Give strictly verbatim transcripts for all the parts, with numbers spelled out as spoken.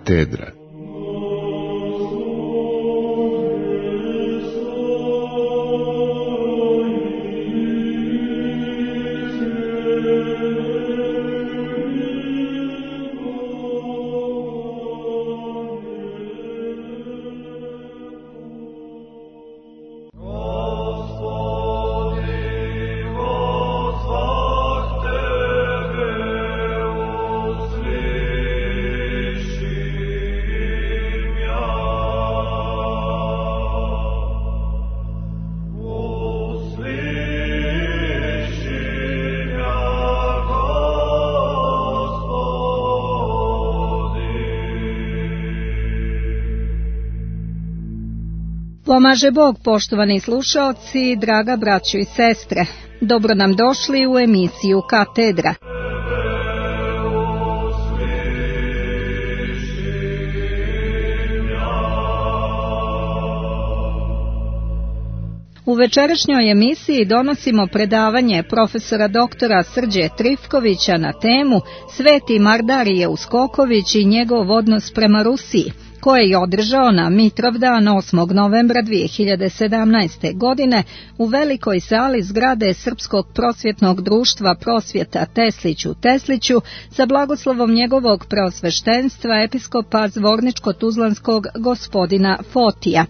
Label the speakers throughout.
Speaker 1: Katedra.
Speaker 2: Pomaže Bog, poštovani slušaoci, draga braćo i sestre. Dobro nam došli u emisiju Katedra. U večerašnjoj emisiji donosimo predavanje profesora doktora Srđe Trifkovića na temu Sveti Mardarije Uskoković i njegov odnos prema Rusiji, koje je održao na Mitrovdan osmog novembra dvije hiljade sedamnaeste. godine u velikoj sali zgrade Srpskog prosvjetnog društva Prosvjeta Teslić u Tesliću sa blagoslovom njegovog preosveštenstva episkopa Zvorničko-Tuzlanskog gospodina Fotija.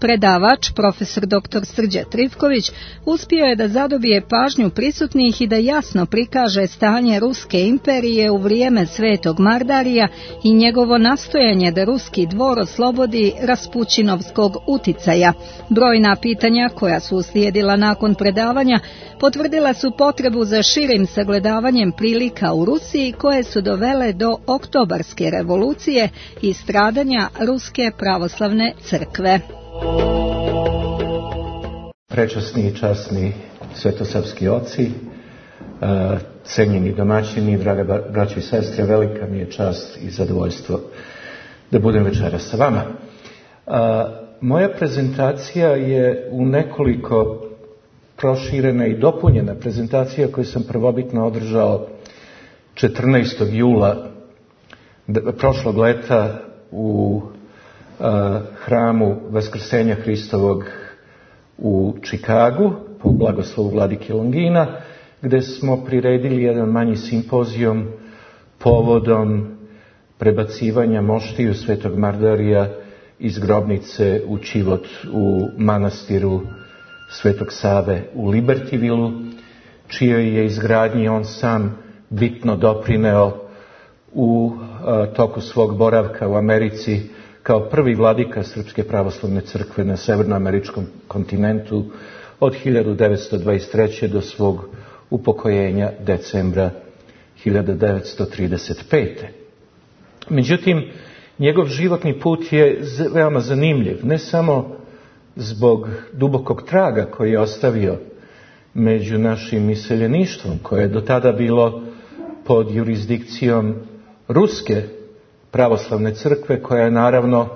Speaker 2: Predavač, profesor doktor Srđa Trifković, uspio je da zadobije pažnju prisutnih i da jasno prikaže stanje Ruske imperije u vrijeme Svetog Mardarija i njegovo nastojanje da ruski dvor oslobodi Raspućinovskog uticaja. Brojna pitanja koja su uslijedila nakon predavanja potvrdila su potrebu za širim sagledavanjem prilika u Rusiji koje su dovele do Oktobarske revolucije i stradanja Ruske pravoslavne crkve.
Speaker 3: Prečasni i časni svetosavski oci, cenjeni domaćini, draga braćo i sestre, velika mi je čast i zadovoljstvo da budem večeras sa vama. Moja prezentacija je u nekoliko proširena i dopunjena prezentacija koju sam prvobitno održao četrnaestog jula prošlog leta u hramu Vaskrsenja Hristovog u Čikagu po blagoslovu vladike Longina, gde smo priredili jedan manji simpozijum povodom prebacivanja moštiju Svetog Mardarija iz grobnice u Čivot u manastiru Svetog Save u Libertivilu, čijoj je izgradnji on sam bitno doprineo u a, toku svog boravka u Americi kao prvi vladika Srpske pravoslavne crkve na severnoameričkom kontinentu od hiljadu devetsto dvadeset treće. do svog upokojenja decembra hiljadu devetsto trideset pete. Međutim, njegov životni put je veoma zanimljiv, ne samo zbog dubokog traga koji je ostavio među našim iseljeništvom, koje je do tada bilo pod jurisdikcijom Ruske pravoslavne crkve, koja je naravno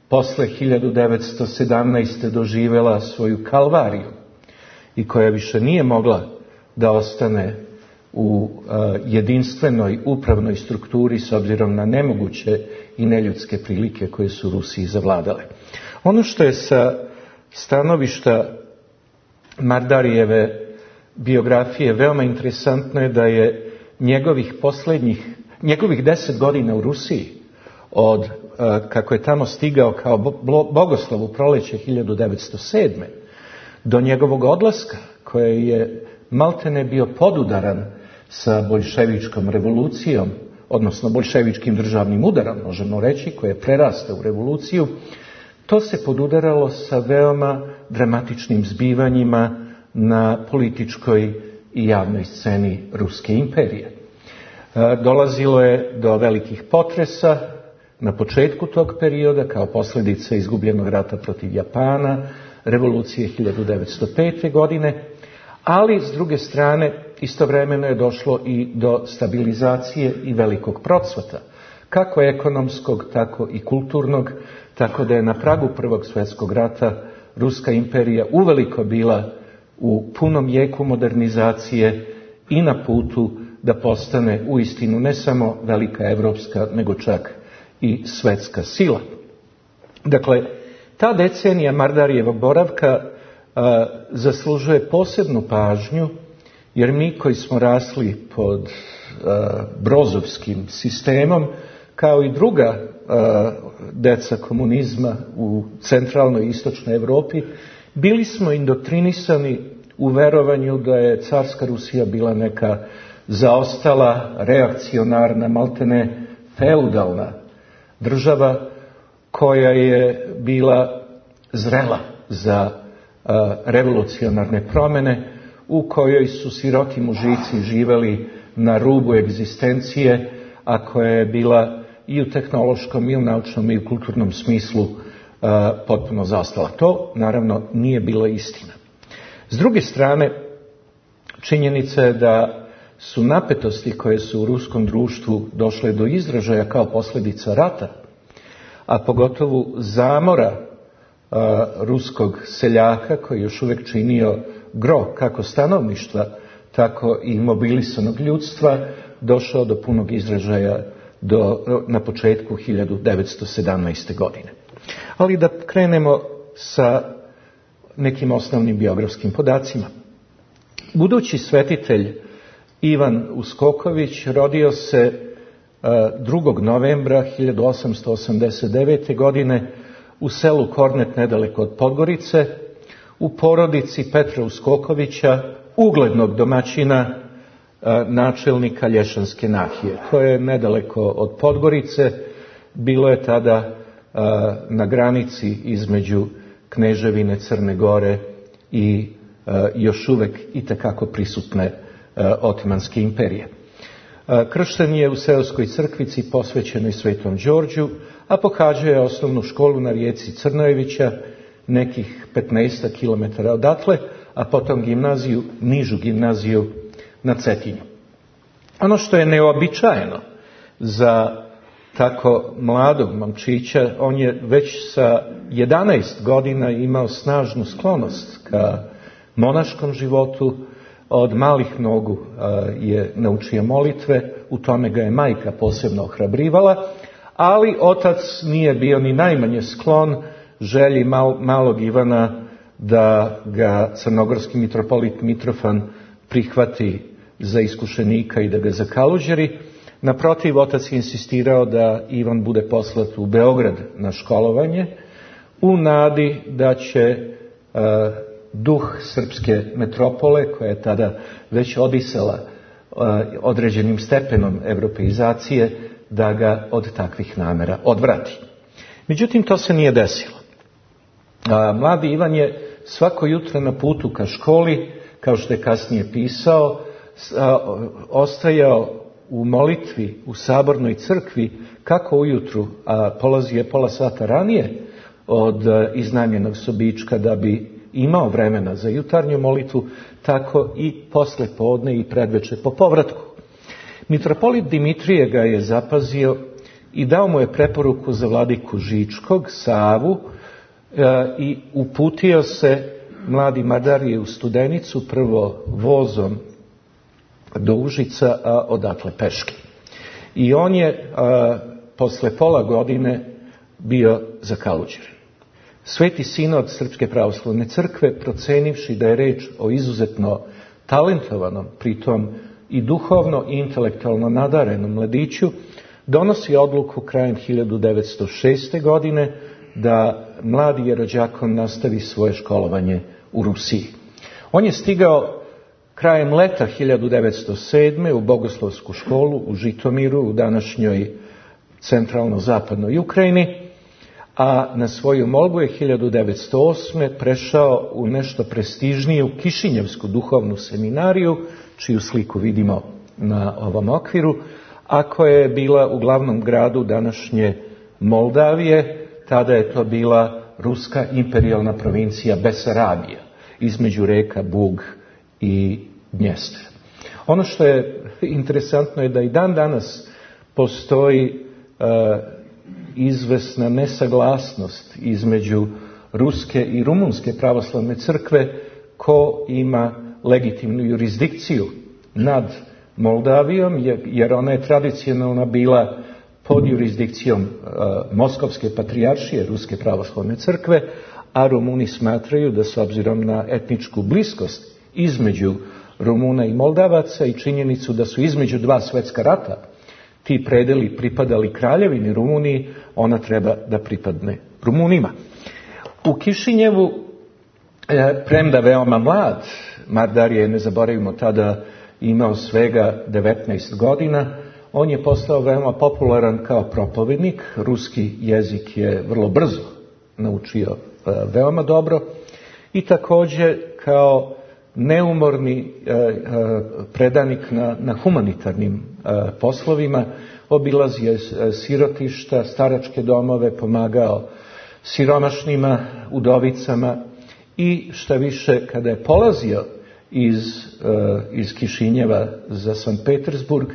Speaker 3: posle hiljadu devetsto sedamnaeste. doživela svoju kalvariju i koja više nije mogla da ostane u a, jedinstvenoj upravnoj strukturi s obzirom na nemoguće i neljudske prilike koje su Rusiji zavladale. Ono što je sa stanovišta Mardarijeve biografije veoma interesantno je da je njegovih posljednjih, njegovih deset godina u Rusiji, od kako je tamo stigao kao bogoslov u proleće hiljadu devetsto sedme. do njegovog odlaska, koje je maltene bio podudaran sa boljševičkom revolucijom, odnosno boljševičkim državnim udarom, možemo reći, koje je prerastao u revoluciju, to se podudaralo sa veoma dramatičnim zbivanjima na političkoj i javnoj sceni Ruske imperije. Dolazilo je do velikih potresa na početku tog perioda kao posljedica izgubljenog rata protiv Japana, revolucije hiljadu devetsto pete. godine, ali s druge strane istovremeno je došlo i do stabilizacije i velikog procvata, kako ekonomskog, tako i kulturnog, tako da je na pragu Prvog svjetskog rata Ruska imperija uveliko bila u punom jeku modernizacije i na putu da postane uistinu ne samo velika evropska, nego čak i svetska sila. Dakle, ta decenija Mardarijevog boravka a, zaslužuje posebnu pažnju, jer mi koji smo rasli pod a, brozovskim sistemom, kao i druga a, deca komunizma u centralnoj i istočnoj Evropi, bili smo indoktrinisani u verovanju da je carska Rusija bila neka zaostala, reakcionarna, maltene feudalna država koja je bila zrela za a, revolucionarne promjene, u kojoj su siroti mužici živeli na rubu egzistencije, a koja je bila i u tehnološkom, i u naučnom, i u kulturnom smislu a, potpuno zaostala. To, naravno, nije bila istina. S druge strane, činjenica je da su napetosti koje su u ruskom društvu došle do izražaja kao posljedica rata, a pogotovo zamora a, ruskog seljaka koji još uvijek činio gro kako stanovništva, tako i mobilisanog ljudstva, došao do punog izražaja do, na početku hiljadu devetsto sedamnaeste. godine. Ali da krenemo sa nekim osnovnim biografskim podacima. Budući svetitelj Ivan Uskoković rodio se drugog novembra hiljadu osamsto osamdeset devete. godine u selu Kornet nedaleko od Podgorice, u porodici Petra Uskokovića, uglednog domaćina načelnika Lješanske nahije. To je nedaleko od Podgorice, bilo je tada na granici između Kneževine Crne Gore i još uvek itekako prisutne Otomanske imperije. Kršten je u seoskoj crkvici posvećenoj Svetom Đorđu, a pohađao je osnovnu školu na rijeci Crnojevića, nekih petnaest kilometara odatle, a potom gimnaziju, nižu gimnaziju na Cetinju. Ono što je neobičajeno za tako mladog momčića, on je već sa jedanaest godina imao snažnu sklonost ka monaškom životu. Od malih nogu je naučio molitve, u tome ga je majka posebno ohrabrivala, ali otac nije bio ni najmanje sklon želji mal, malog Ivana da ga crnogorski mitropolit Mitrofan prihvati za iskušenika i da ga zakaluđeri. Naprotiv, otac je insistirao da Ivan bude poslat u Beograd na školovanje, u nadi da će uh, duh srpske metropole, koja je tada već odisala uh, određenim stepenom evropeizacije, da ga od takvih namera odvrati. Međutim, to se nije desilo. Uh, mladi Ivan je svako jutro na putu ka školi, kao što je kasnije pisao, uh, ostajao u molitvi u sabornoj crkvi, kako ujutru, a polazi je pola sata ranije od iznajmljenog sobička da bi imao vremena za jutarnju molitvu, tako i posle podne i predveče po povratku. Mitropolit Dimitrije ga je zapazio i dao mu je preporuku za vladiku Žičkog, Savu, e, i uputio se mladi Mardarije u Studenicu, prvo vozom do Užica, a odatle peške. I on je a, posle pola godine bio zakaluđeren. Sveti sinod Srpske pravoslavne crkve, procenivši da je reč o izuzetno talentovanom, pritom i duhovno i intelektualno nadarenom mladiću, donosi odluku krajem hiljadu devetsto šeste. godine da mladi jerođakon nastavi svoje školovanje u Rusiji. On je stigao krajem leta hiljadu devetsto sedme. u bogoslovsku školu u Žitomiru, u današnjoj centralno-zapadnoj Ukrajini, a na svoju molbu je hiljadu devetsto osme. prešao u nešto prestižniju Kišinjevsku duhovnu seminariju, čiju sliku vidimo na ovom okviru, a koja je bila u glavnom gradu današnje Moldavije. Tada je to bila ruska imperijalna provincija Besarabija, između reka Bug i Dnjestra. Ono što je interesantno je da i dan danas postoji uh, izvesna nesaglasnost između ruske i rumunske pravoslavne crkve ko ima legitimnu jurisdikciju nad Moldavijom, jer ona je tradicionalno bila pod jurisdikcijom uh, Moskovske patrijaršije, Ruske pravoslavne crkve, a Rumuni smatraju da s obzirom na etničku bliskost između Rumuna i Moldavaca i činjenicu da su između dva svetska rata ti predeli pripadali kraljevini Rumuniji, ona treba da pripadne Rumunima. U Kišinjevu, premda veoma mlad, Mardar je, ne zaboravimo, tada imao svega devetnaest godina, on je postao veoma popularan kao propovednik, ruski jezik je vrlo brzo naučio veoma dobro i također kao neumorni predanik na, na humanitarnim poslovima, obilazio je sirotišta, staračke domove, pomagao siromašnima, udovicama i šta više, kada je polazio iz, iz Kišinjeva za Sankt Petersburg,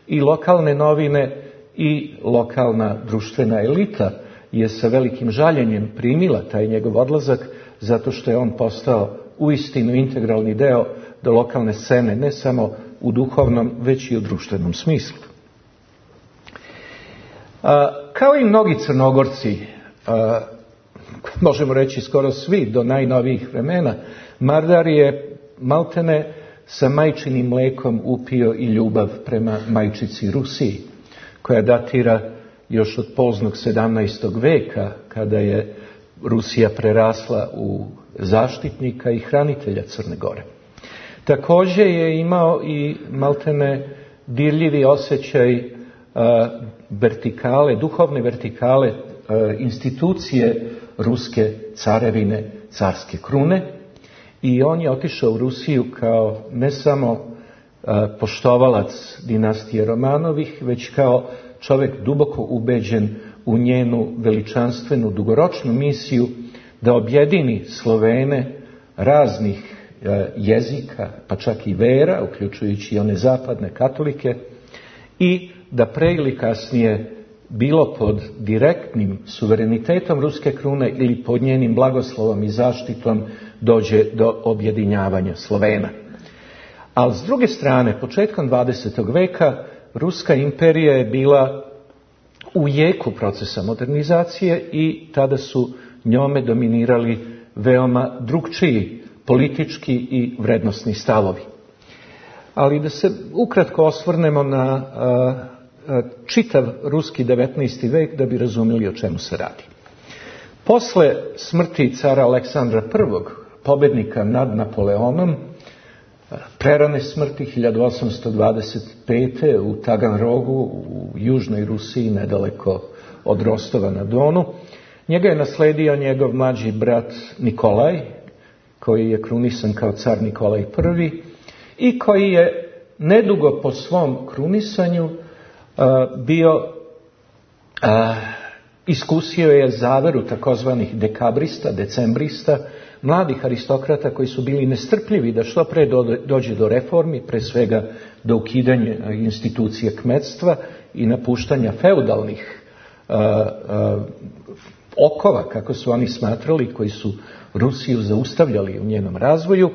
Speaker 3: i lokalne novine i lokalna društvena elita je sa velikim žaljenjem primila taj njegov odlazak, zato što je on postao uistinu integralni deo do lokalne scene, ne samo u duhovnom, već i u društvenom smislu. A, kao i mnogi Crnogorci, a, možemo reći skoro svi do najnovijih vremena, Mardar je maltene sa majčinim mlekom upio i ljubav prema majčici Rusiji, koja datira još od poznog sedamnaestog veka, kada je Rusija prerasla u zaštitnika i hranitelja Crne Gore. Također je imao i maltene dirljivi osjećaj a, vertikale, duhovne vertikale a, institucije ruske carevine, carske krune, i on je otišao u Rusiju kao ne samo a, poštovalac dinastije Romanovih, već kao čovjek duboko ubeđen u njenu veličanstvenu dugoročnu misiju da objedini Slovene raznih a, jezika, pa čak i vera, uključujući i one zapadne katolike, i da pre ili kasnije, bilo pod direktnim suverenitetom ruske krune ili pod njenim blagoslovom i zaštitom, dođe do objedinjavanja Slovena. Ali s druge strane, početkom dvadesetog veka, Ruska imperija je bila u jeku procesa modernizacije i tada su njome dominirali veoma drukčiji politički i vrednosni stavovi. Ali da se ukratko osvrnemo na a, a, čitav ruski devetnaesti vek da bi razumjeli o čemu se radi. Posle smrti cara Aleksandra prvog, pobednika nad Napoleonom, prerane smrti hiljadu osamsto dvadeset pete. u Taganrogu u južnoj Rusiji, nedaleko od Rostova na Donu, njega je nasledio njegov mlađi brat Nikolaj, koji je krunisan kao car Nikolaj prvi i koji je nedugo po svom krunisanju uh, bio uh, iskusio je zaveru takozvanih dekabrista, decembrista, mladih aristokrata koji su bili nestrpljivi da što pre dođe do reformi, pre svega do ukidanja institucije kmetstva i napuštanja feudalnih uh, uh, okova, kako su oni smatrali, koji su Rusiju zaustavljali u njenom razvoju.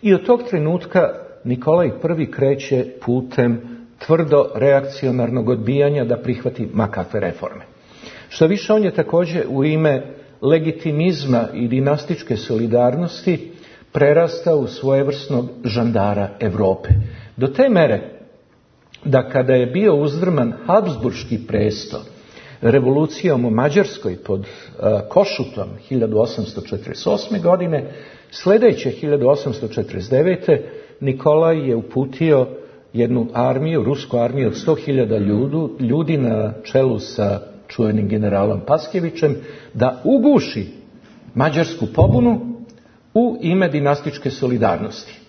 Speaker 3: I od tog trenutka Nikolaj prvi kreće putem tvrdo reakcionarnog odbijanja da prihvati makakve reforme. Što više, on je također u ime legitimizma i dinastičke solidarnosti prerastao u svojevrsnog žandara Europe. Do te mere da kada je bio uzdrman Habsburški presto revolucijom u Mađarskoj pod uh, Košutom hiljadu osamsto četrdeset osme. godine, sljedeće hiljadu osamsto četrdeset devete. Nikolaj je uputio jednu armiju, rusku armiju od sto hiljada ljudi na čelu sa čuvenim generalom Paskjevićem, da uguši mađarsku pobunu u ime dinastičke solidarnosti.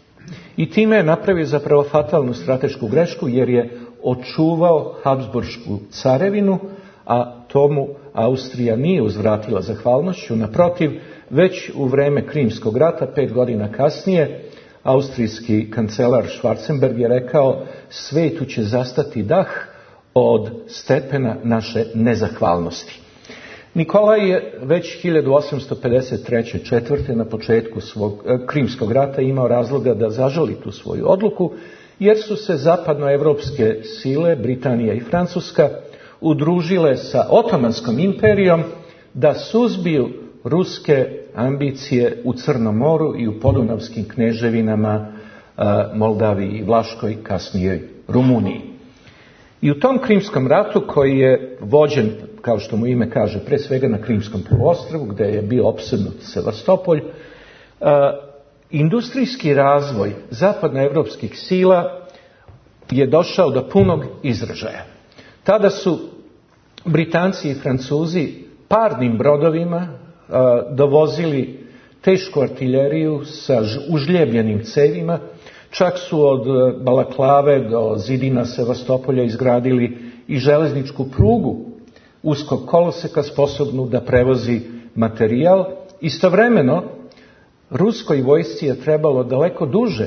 Speaker 3: I time je napravio zapravo fatalnu stratešku grešku, jer je očuvao Habsburšku carevinu, a tomu Austrija nije uzvratila zahvalnošću. Naprotiv, već u vreme Krimskog rata, pet godina kasnije, austrijski kancelar Schwarzenberg je rekao: svijetu će zastati dah od stepena naše nezahvalnosti. Nikolaj je već hiljadu osamsto pedeset treće. četvrte. na početku svog e, Krimskog rata imao razloga da zažali tu svoju odluku, jer su se zapadnoevropske sile, Britanija i Francuska, udružile sa Otomanskom imperijom da suzbiju ruske ambicije u Crnom moru i u podunavskim kneževinama, Moldaviji i Vlaškoj, kasnije Rumuniji. I u tom Krimskom ratu, koji je vođen, kao što mu ime kaže, pre svega na Krimskom poluostrvu, gdje je bio opsednut Sevastopolj, industrijski razvoj zapadnoevropskih sila je došao do punog izražaja. Tada su Britanci i Francuzi parnim brodovima dovozili tešku artiljeriju sa užljebljenim cevima, čak su od Balaklave do zidina Sevastopolja izgradili i železničku prugu uskog koloseka sposobnu da prevozi materijal. Istovremeno, ruskoj vojsci je trebalo daleko duže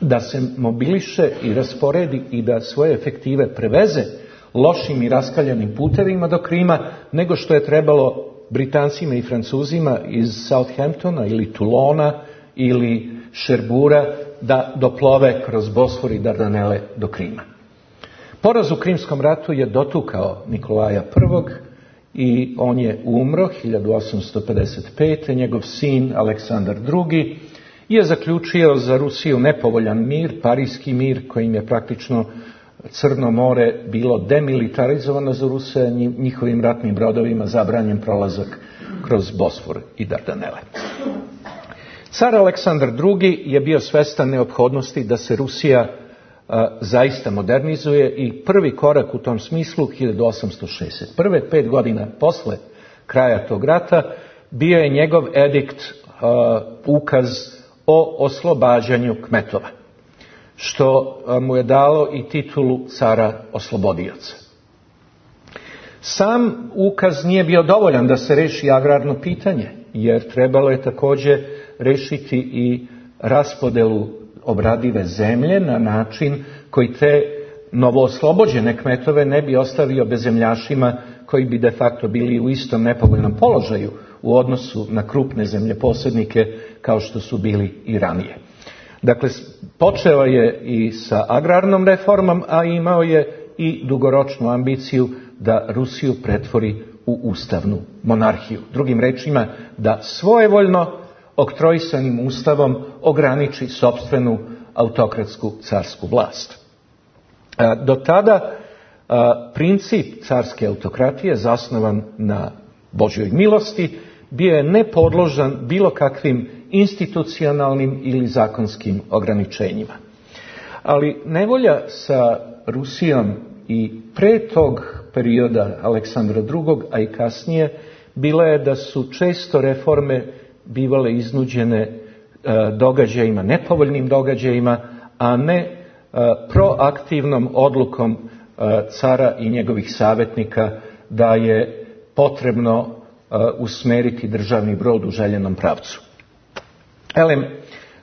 Speaker 3: da se mobiliše i rasporedi i da svoje efektive preveze lošim i raskaljanim putevima do Krima, nego što je trebalo Britancima i Francuzima iz Southamptona ili Toulona ili Šerbura da doplove kroz Bosfor i Dardanele do Krima. Poraz u Krimskom ratu je dotukao Nikolaja prvog. i on je umro hiljadu osamsto pedeset pete. Njegov sin Aleksandar drugi. je zaključio za Rusiju nepovoljan mir, Parijski mir, kojim je praktično Crno more bilo demilitarizovano za Ruse, njihovim ratnim brodovima zabranjen prolazak kroz Bosfor i Dardanele. Car Aleksandar drugi. je bio svestan neophodnosti da se Rusija a, zaista modernizuje i prvi korak u tom smislu hiljadu osamsto šezdeset prve. pet godina posle kraja tog rata, bio je njegov edikt, a, ukaz o oslobađanju kmetova, što mu je dalo i titulu cara oslobodioca. Sam ukaz nije bio dovoljan da se reši agrarno pitanje, jer trebalo je također rešiti i raspodelu obradive zemlje na način koji te novooslobođene kmetove ne bi ostavio bezemljašima koji bi de facto bili u istom nepovoljnom položaju u odnosu na krupne zemljeposjednike kao što su bili i ranije. Dakle, počeo je i sa agrarnom reformom, a imao je i dugoročnu ambiciju da Rusiju pretvori u ustavnu monarhiju. Drugim rečima, da svojevoljno oktroisanim ustavom ograniči sopstvenu autokratsku carsku vlast. Do tada princip carske autokratije, zasnovan na Božjoj milosti, bio je nepodložan bilo kakvim institucionalnim ili zakonskim ograničenjima. Ali nevolja sa Rusijom i pre tog perioda Aleksandra drugog. a i kasnije, bila je da su često reforme bivale iznuđene e, događajima, nepovoljnim događajima, a ne e, proaktivnom odlukom e, cara i njegovih savjetnika da je potrebno e, usmeriti državni brod u željenom pravcu. Elem,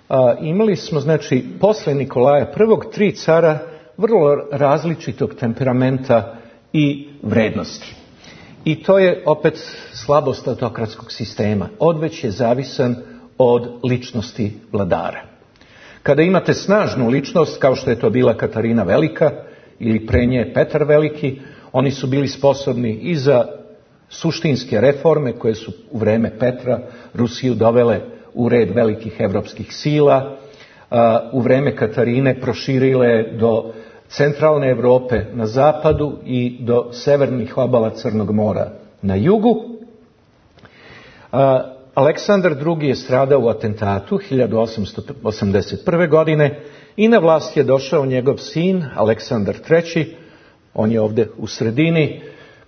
Speaker 3: a, imali smo, znači, posle Nikolaja prvog. tri cara vrlo različitog temperamenta i vrednosti. I to je opet slabost autokratskog sistema. Odveć je zavisan od ličnosti vladara. Kada imate snažnu ličnost, kao što je to bila Katarina Velika ili pre nje Petar Veliki, oni su bili sposobni i za suštinske reforme koje su u vreme Petra Rusiju dovele u red velikih evropskih sila, u vreme Katarine proširile do centralne Europe na zapadu i do severnih obala Crnog mora na jugu. Aleksandar drugi. je stradao u atentatu hiljadu osamsto osamdeset prve. godine i na vlast je došao njegov sin Aleksandar treći. On je ovdje u sredini,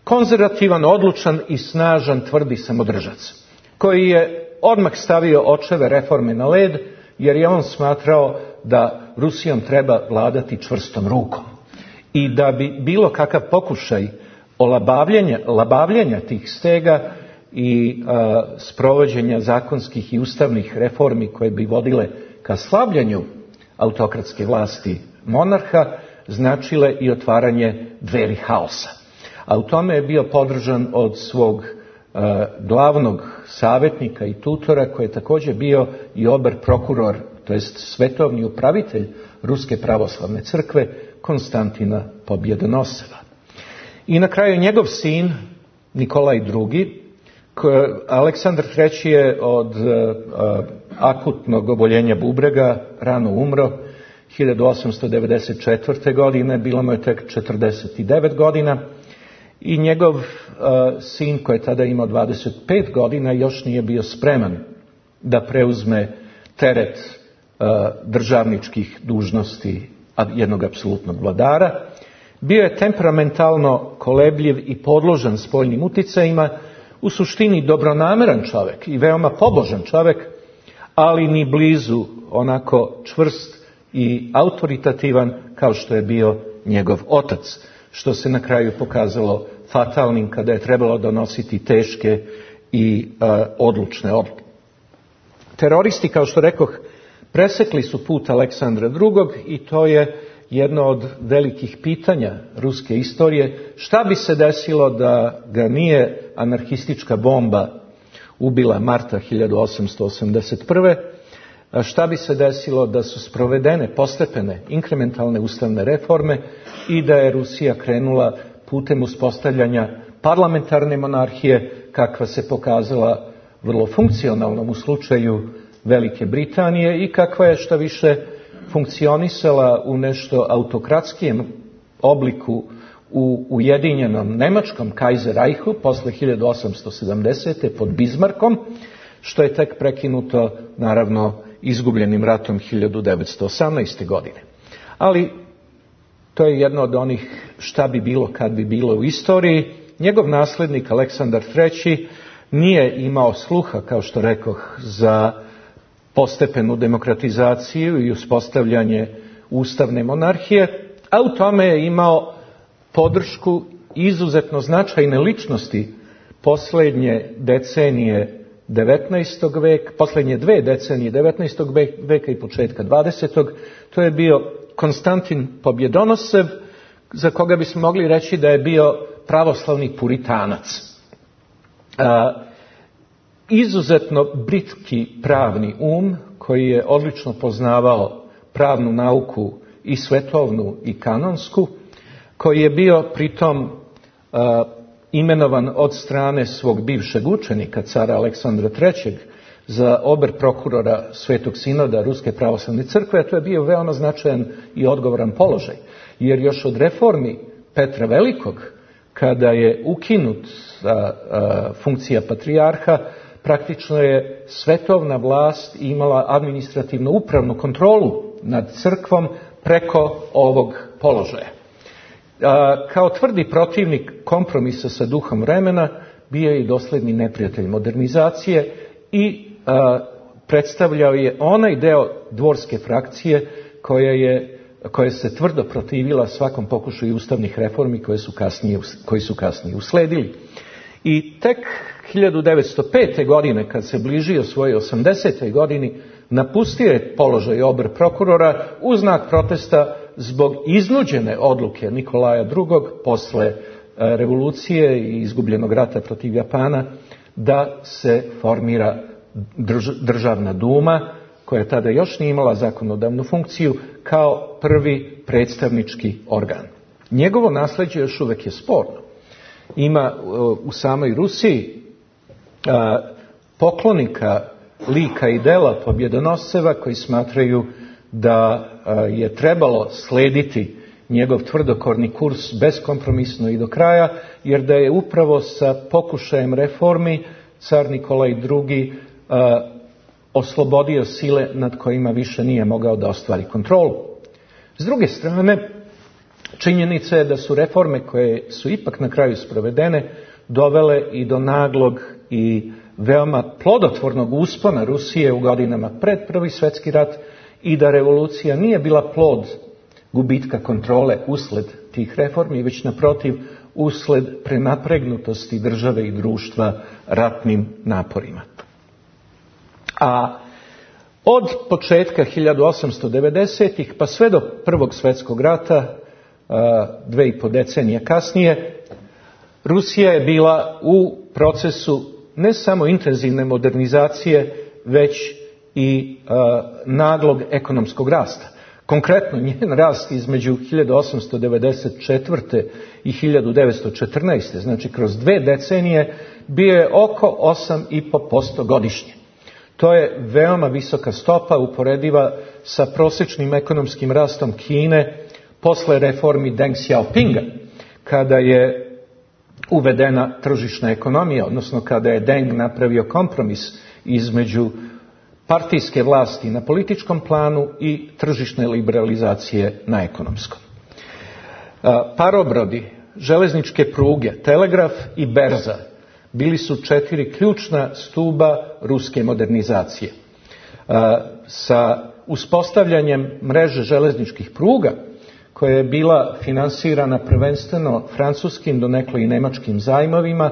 Speaker 3: konzervativan, odlučan i snažan, tvrdi samodržac, koji je odmah stavio očeve reforme na led, jer je on smatrao da Rusijom treba vladati čvrstom rukom. I da bi bilo kakav pokušaj olabavljenja, labavljenja tih stega i a, sprovođenja zakonskih i ustavnih reformi koje bi vodile ka slabljenju autokratske vlasti monarha, značile i otvaranje dveri haosa. A u tome je bio podržan od svog glavnog savjetnika i tutora, koji je također bio i ober prokuror, to jest svetovni upravitelj Ruske pravoslavne crkve, Konstantina Pobjedonoseva. I na kraju njegov sin, Nikolaj drugi, Aleksandar treći je od akutnog oboljenja bubrega rano umro hiljadu osamsto devedeset četvrte. godine, bilo mu je tek četrdeset devet godina i njegov uh, sin, koji je tada imao dvadeset pet godina, još nije bio spreman da preuzme teret uh, državničkih dužnosti jednog apsolutnog vladara. Bio je temperamentalno kolebljiv i podložan spoljnim uticajima, u suštini dobronameran čovjek i veoma pobožan čovjek, ali ni blizu onako čvrst i autoritativan kao što je bio njegov otac, što se na kraju pokazalo fatalnim kada je trebalo donositi teške i uh, odlučne odluke. Teroristi, kao što rekoh, presekli su put Aleksandra drugog. i to je jedno od velikih pitanja ruske istorije. Šta bi se desilo da ga nije anarhistička bomba ubila marta hiljadu osamsto osamdeset prve. A šta bi se desilo da su sprovedene postepene inkrementalne ustavne reforme i da je Rusija krenula putem uspostavljanja parlamentarne monarhije, kakva se pokazala vrlo funkcionalnom u slučaju Velike Britanije i kakva je što više funkcionisala u nešto autokratskijem obliku u ujedinjenom nemačkom Kaiserreichu posle hiljadu osamsto sedamdesete. pod Bismarckom, što je tek prekinuto naravno izgubljenim ratom hiljadu devetsto osamnaeste. godine. Ali to je jedno od onih šta bi bilo kad bi bilo u istoriji. Njegov naslednik Aleksandar treći nije imao sluha, kao što rekoh, za postepenu demokratizaciju i uspostavljanje ustavne monarhije, a u tome je imao podršku izuzetno značajne ličnosti posljednje decenije devetnaestog veka, posljednje dve decenije devetnaestog veka i početka dvadesetog. To je bio Konstantin Pobjedonosev, za koga bismo mogli reći da je bio pravoslavni puritanac. A, izuzetno britki pravni um, koji je odlično poznavao pravnu nauku i svetovnu i kanonsku, koji je bio pritom a, imenovan od strane svog bivšeg učenika, cara Aleksandra trećeg, za ober prokurora Svetog sinoda Ruske pravoslavne crkve. A to je bio veoma značajan i odgovoran položaj, jer još od reformi Petra Velikog, kada je ukinut a, a, funkcija patrijarha, praktično je svetovna vlast imala administrativno upravnu kontrolu nad crkvom preko ovog položaja. A, kao tvrdi protivnik kompromisa sa duhom vremena, bio je i dosledni neprijatelj modernizacije i a, predstavljao je onaj deo dvorske frakcije koja je, koja se tvrdo protivila svakom pokušaju ustavnih reformi koje su kasnije, koji su kasnije usledili. I tek hiljadu devetsto pete. godine, kad se bližio svojoj osamdesetoj. godini, napustio je položaj ober prokurora u znak protesta zbog iznuđene odluke Nikolaja drugog. posle revolucije i izgubljenog rata protiv Japana, da se formira državna duma, koja tada još nije imala zakonodavnu funkciju, kao prvi predstavnički organ. Njegovo nasljeđe još uvijek je sporno. Ima u samoj Rusiji poklonika lika i dela Pobjedonoseva koji smatraju da je trebalo slediti njegov tvrdokorni kurs beskompromisno i do kraja, jer da je upravo sa pokušajem reformi car Nikolaj drugi oslobodio sile nad kojima više nije mogao da ostvari kontrolu. S druge strane, činjenica je da su reforme koje su ipak na kraju sprovedene dovele i do naglog i veoma plodotvornog uspona Rusije u godinama pred Prvi svjetski rat i da revolucija nije bila plod gubitka kontrole usled tih reformi, već naprotiv usled prenapregnutosti države i društva ratnim naporima. A od početka hiljadu osamsto devedesetih. pa sve do Prvog svjetskog rata, dve i po decenije kasnije, Rusija je bila u procesu ne samo intenzivne modernizacije, već i uh, naglog ekonomskog rasta. Konkretno, njen rast između hiljadu osamsto devedeset četvrte i hiljadu devetsto četrnaeste. znači kroz dve decenije, bio je oko osam i po posto godišnje. To je veoma visoka stopa, uporediva sa prosječnim ekonomskim rastom Kine posle reformi Deng Xiaopinga, kada je uvedena tržišna ekonomija, odnosno kada je Deng napravio kompromis između partijske vlasti na političkom planu i tržišne liberalizacije na ekonomskom. Parobrodi, železničke pruge, telegraf i berza bili su četiri ključna stuba ruske modernizacije. Sa uspostavljanjem mreže železničkih pruga, koja je bila finansirana prvenstveno francuskim, donekle i nemačkim zajmovima,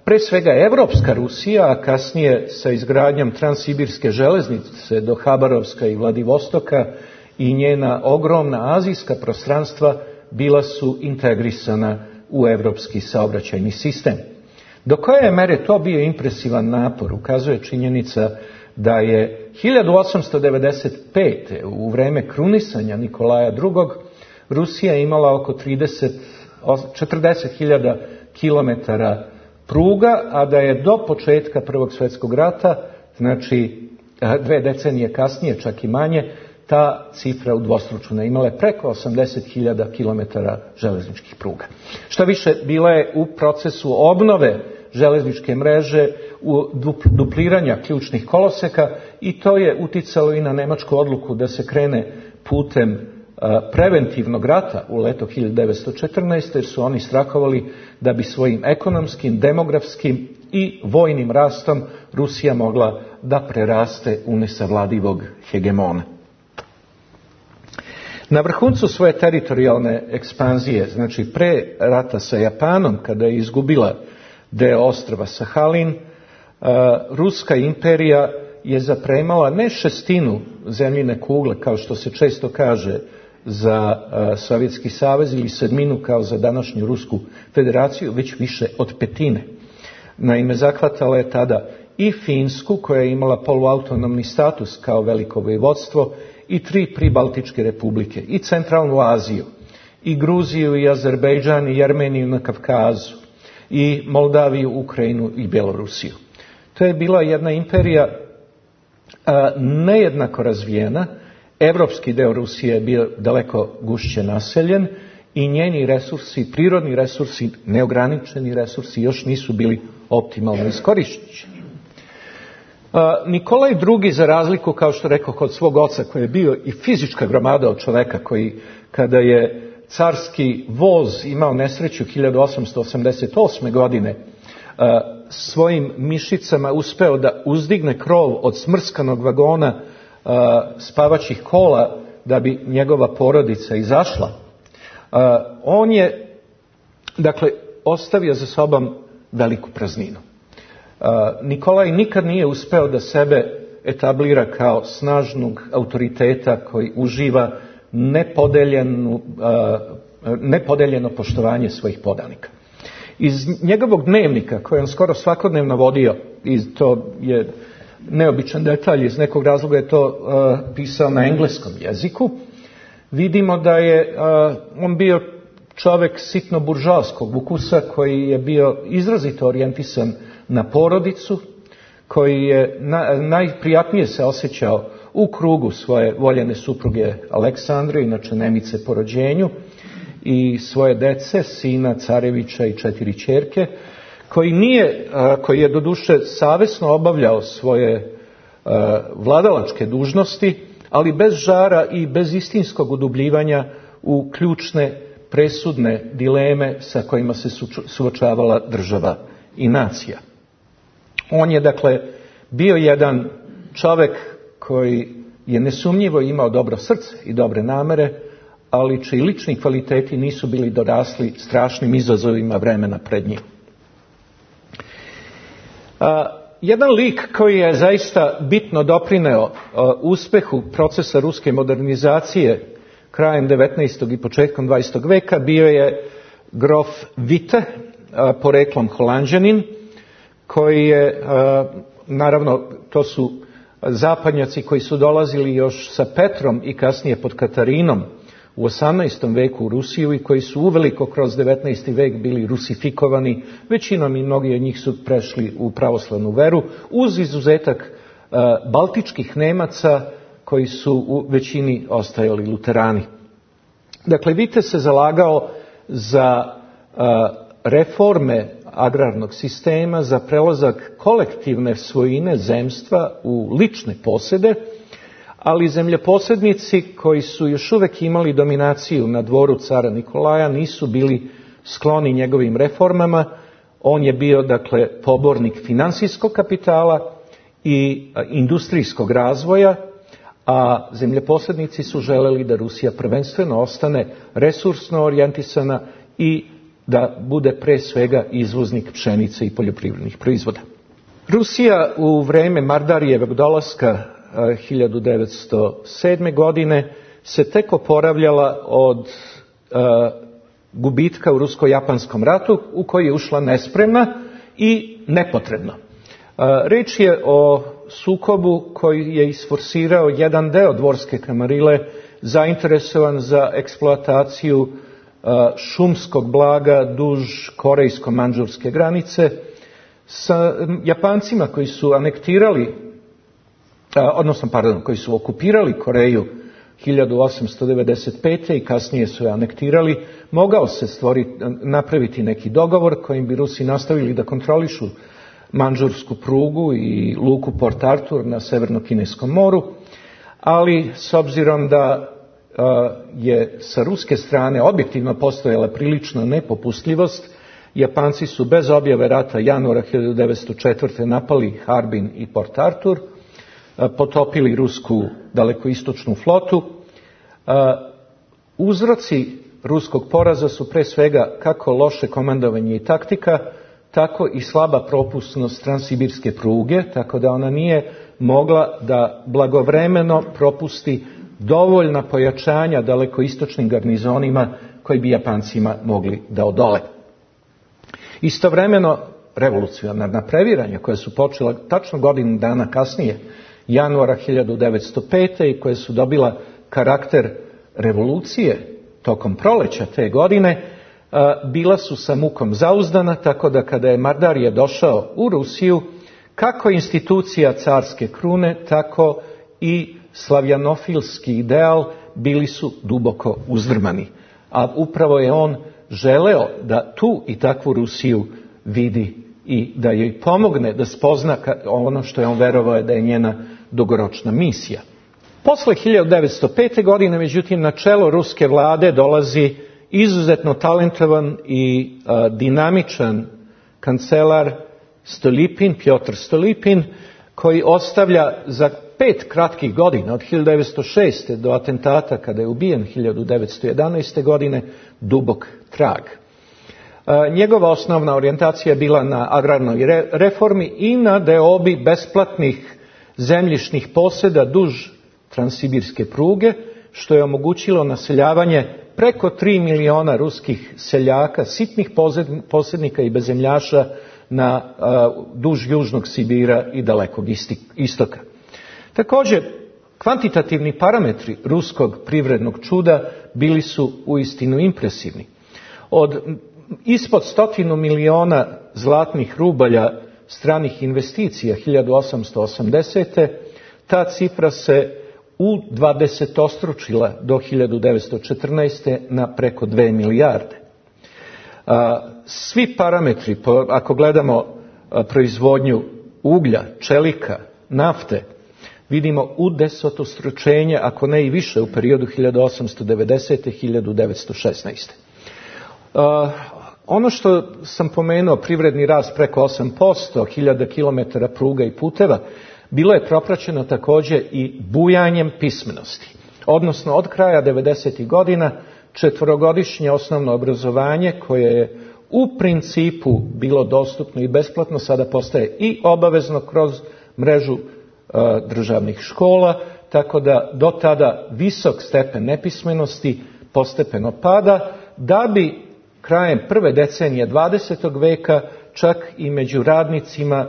Speaker 3: pre svega evropska Rusija, a kasnije sa izgradnjom transsibirske železnice do Habarovska i Vladivostoka i njena ogromna azijska prostranstva bila su integrisana u evropski saobraćajni sistem. Do koje je mere to bio impresivan napor, ukazuje činjenica da je hiljadu osamsto devedeset pete. u vreme krunisanja Nikolaja drugog. Rusija imala oko trideset, četrdeset hiljada kilometara pruga, a da je do početka Prvog svjetskog rata, znači dve decenije kasnije, čak i manje, ta cifra udvostručena. Imala je preko osamdeset hiljada kilometara železničkih pruga. Šta više, bila je u procesu obnove železničke mreže, u dupliranja ključnih koloseka, i to je uticalo i na nemačku odluku da se krene putem preventivnog rata u leto hiljadu devetsto četrnaeste. jer su oni strahovali da bi svojim ekonomskim, demografskim i vojnim rastom Rusija mogla da preraste u nesavladivog hegemona. Na vrhuncu svoje teritorijalne ekspanzije, znači pre rata sa Japanom, kada je izgubila deo ostrva Sahalin, Ruska imperija je zapremala ne šestinu zemljine kugle, kao što se često kaže za Sovjetski savez, ili sedminu kao za današnju Rusku federaciju, već više od petine. Naime, zahvatala je tada i Finsku, koja je imala poluautonomni status kao veliko vojvodstvo, i tri pribaltičke republike, i Centralnu Aziju, i Gruziju, i Azerbejdžan, i Armeniju na Kavkazu, i Moldaviju, Ukrajinu i Bjelorusiju. To je bila jedna imperija a, nejednako razvijena. Evropski deo Rusije je bio daleko gušće naseljen i njeni resursi, prirodni resursi, neograničeni resursi, još nisu bili optimalno iskorišćeni. Nikolaj drugi, za razliku, kao što rekao, kod svog oca, koji je bio i fizička gromada od čoveka, koji kada je carski voz imao nesreću hiljadu osamsto osamdeset osme. godine, svojim mišicama uspeo da uzdigne krov od smrskanog vagona spavaćih kola da bi njegova porodica izašla. On je, dakle, ostavio za sobom veliku prazninu. Nikolaj nikad nije uspeo da sebe etablira kao snažnog autoriteta koji uživa nepodeljenu, nepodeljeno poštovanje svojih podanika. Iz njegovog dnevnika, koji on skoro svakodnevno vodio, i to je neobičan detalj, iz nekog razloga je to uh, pisao na engleskom jeziku, vidimo da je uh, on bio čovek sitno buržoaskog ukusa, koji je bio izrazito orijentisan na porodicu, koji je na, najprijatnije se osjećao u krugu svoje voljene supruge Aleksandre, inače Nemice po rođenju, i svoje dece, sina Carevića i četiri ćerke, koji nije, koji je doduše savesno obavljao svoje vladalačke dužnosti, ali bez žara i bez istinskog udubljivanja u ključne presudne dileme sa kojima se suočavala država i nacija. On je, dakle, bio jedan čovek koji je nesumnjivo imao dobro srce i dobre namere, ali čiji lični kvaliteti nisu bili dorasli strašnim izazovima vremena pred njim. A, jedan lik koji je zaista bitno doprineo a, uspehu procesa ruske modernizacije krajem devetnaestog i početkom dvadesetog veka bio je
Speaker 1: grof Witte, poreklom Holanđanin, koji je, naravno, to su zapadnjaci koji su dolazili još sa Petrom i kasnije pod Katarinom u osamnaestom veku u Rusiju i koji su uveliko kroz devetnaesti vek bili rusifikovani, većinom i mnogi od njih su prešli u pravoslavnu veru, uz izuzetak baltičkih Nemaca koji su u većini ostajali luterani. Dakle, Witte se zalagao za reforme agrarnog sistema, za prelazak kolektivne svojine zemstva u lične posede, ali zemljoposednici koji su još uvek imali dominaciju na dvoru cara Nikolaja nisu bili skloni njegovim reformama. On je bio, dakle, pobornik finansijskog kapitala i industrijskog razvoja, a zemljoposednici su želeli da Rusija prvenstveno ostane resursno orijentisana i da bude pre svega izvoznik pšenice i poljoprivrednih proizvoda. Rusija u vreme Mardarijevog dolaska hiljadu devetsto sedme. godine se tek oporavljala od uh, gubitka u rusko-japanskom ratu u koji je ušla nespremna i nepotrebno. Uh, reč je o sukobu koji je isforsirao jedan deo dvorske kamarile zainteresovan za eksploataciju uh, šumskog blaga duž korejsko-manđurske granice sa Japancima koji su anektirali odnosno, pardon, koji su okupirali Koreju hiljadu osamsto devedeset pete. i kasnije su je anektirali, mogao se stvoriti, napraviti neki dogovor kojim bi Rusi nastavili da kontrolišu manđursku prugu i luku Port Arthur na Severno-Kineskom moru, ali s obzirom da je sa ruske strane objektivno postojala prilična nepopustljivost, Japanci su bez objave rata januara hiljadu devetsto četvrte. napali Harbin i Port Arthur, potopili rusku dalekoistočnu flotu. Uzroci ruskog poraza su pre svega kako loše komandovanje i taktika, tako i slaba propusnost transsibirske pruge, tako da ona nije mogla da blagovremeno propusti dovoljna pojačanja dalekoistočnim garnizonima koji bi Japancima mogli da odole. Istovremeno, revolucionarna previranja koja su počela tačno godinu dana kasnije, januara hiljadu devetsto pete. i koje su dobila karakter revolucije tokom proleća te godine, bila su sa mukom zauzdana, tako da kada je Mardarije došao u Rusiju, kako institucija carske krune, tako i slavjanofilski ideal bili su duboko uzdrmani. A upravo je on želeo da tu i takvu Rusiju vidi i da joj pomogne da spozna ono što je on verovao da je njena dugoročna misija. Posle hiljadu devetsto pete. godine, međutim, na čelo ruske vlade dolazi izuzetno talentovan i a, dinamičan kancelar Stolypin, Pjotr Stolypin, koji ostavlja za pet kratkih godina, od hiljadu devetsto šeste. do atentata kada je ubijen hiljadu devetsto jedanaeste. godine, dubok trag. A, njegova osnovna orijentacija je bila na agrarnoj re, reformi i na deobi besplatnih zemljišnih posjeda duž transsibirske pruge, što je omogućilo naseljavanje preko tri miliona ruskih seljaka, sitnih posjednika i bezemljaša na uh, duž južnog Sibira i dalekog istoka. Također, kvantitativni parametri ruskog privrednog čuda bili su uistinu impresivni. Od ispod stotinu miliona zlatnih rubalja stranih investicija hiljadu osamsto osamdesete. ta cifra se udvadesetostručila do hiljadu devetsto četrnaeste. na preko dve milijarde. Svi parametri, ako gledamo proizvodnju uglja, čelika, nafte, vidimo udesetostručenje, ako ne i više, u periodu hiljadu osamsto devedesete. do hiljadu devetsto šesnaeste. Ono što sam pomenuo, privredni rast preko osam posto, hiljada kilometara pruga i puteva, bilo je propraćeno također i bujanjem pismenosti. Odnosno, od kraja devedesetih godina četvorogodišnje osnovno obrazovanje, koje je u principu bilo dostupno i besplatno, sada postaje i obavezno kroz mrežu e, državnih škola, tako da do tada visok stepen nepismenosti postepeno pada, da bi krajem prve decenije dvadesetog veka čak i među radnicima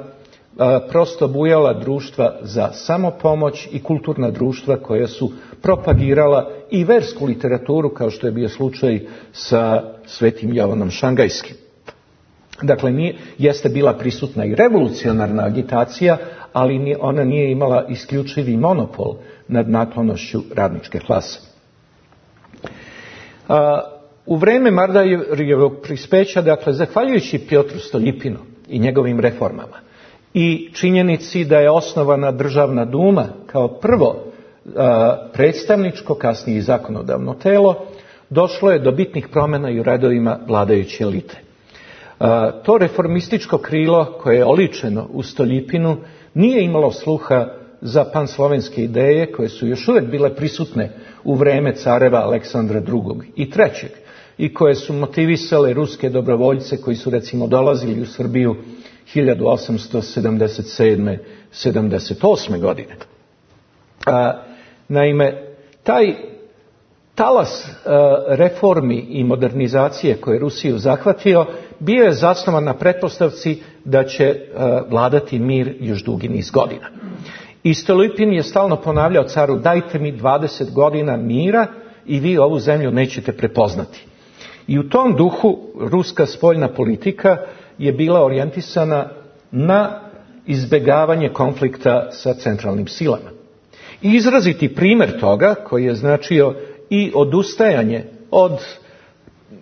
Speaker 1: prosto bujala društva za samopomoć i kulturna društva koja su propagirala i versku literaturu, kao što je bio slučaj sa Svetim Jovanom Šangajskim. Dakle, nije, jeste bila prisutna i revolucionarna agitacija, ali ona nije imala isključivi monopol nad naklonošću radničke klase. U vreme Mardarijevog prispeća, dakle, zahvaljujući Pjotru Stoljipinu i njegovim reformama i činjenici da je osnovana državna duma kao prvo predstavničko, kasnije i zakonodavno telo, došlo je do bitnih promjena i u redovima vladajuće elite. To reformističko krilo koje je oličeno u Stoljipinu nije imalo sluha za panslovenske ideje koje su još uvijek bile prisutne u vreme careva Aleksandra drugog i trećeg i koje su motivisale ruske dobrovoljce koji su recimo dolazili u Srbiju hiljadu osamsto sedamdeset sedme sedamdeset osme godine. A, naime, taj talas a, reformi i modernizacije koje je Rusiju zahvatio bio je zasnovan na pretpostavci da će a, vladati mir još dugi niz godina. I Stoljipin je stalno ponavljao caru: dajte mi dvadeset godina mira i vi ovu zemlju nećete prepoznati. I u tom duhu ruska spoljna politika je bila orijentisana na izbjegavanje konflikta sa centralnim silama. I izraziti primjer toga, koji je značio i odustajanje od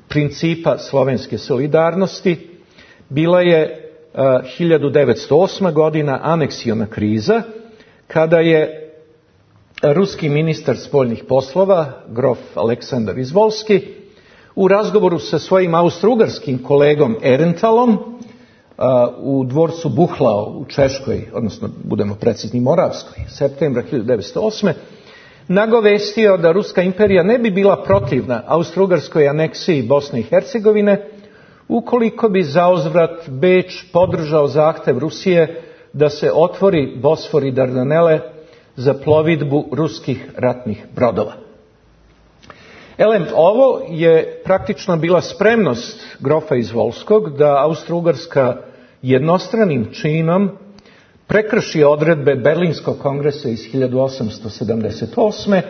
Speaker 1: principa slovenske solidarnosti, bila je uh, hiljadu devetsto osma godina, aneksiona kriza, kada je ruski ministar spoljnih poslova, grof Aleksandar Izvolski, u razgovoru sa svojim austrougarskim kolegom Ehrentalom u dvorcu Buchlau u Češkoj, odnosno budemo precizni Moravskoj, septembra hiljadu devetsto osme nagovestio da Ruska imperija ne bi bila protivna austrougarskoj aneksiji Bosne i Hercegovine ukoliko bi zauzvrat Beč podržao zahtev Rusije da se otvori Bosfor i Dardanele za plovidbu ruskih ratnih brodova. Elem, ovo je praktično bila spremnost grofa Izvolskog da Austro-Ugarska jednostranim činom prekrši odredbe Berlinskog kongresa iz hiljadu osamsto sedamdeset osme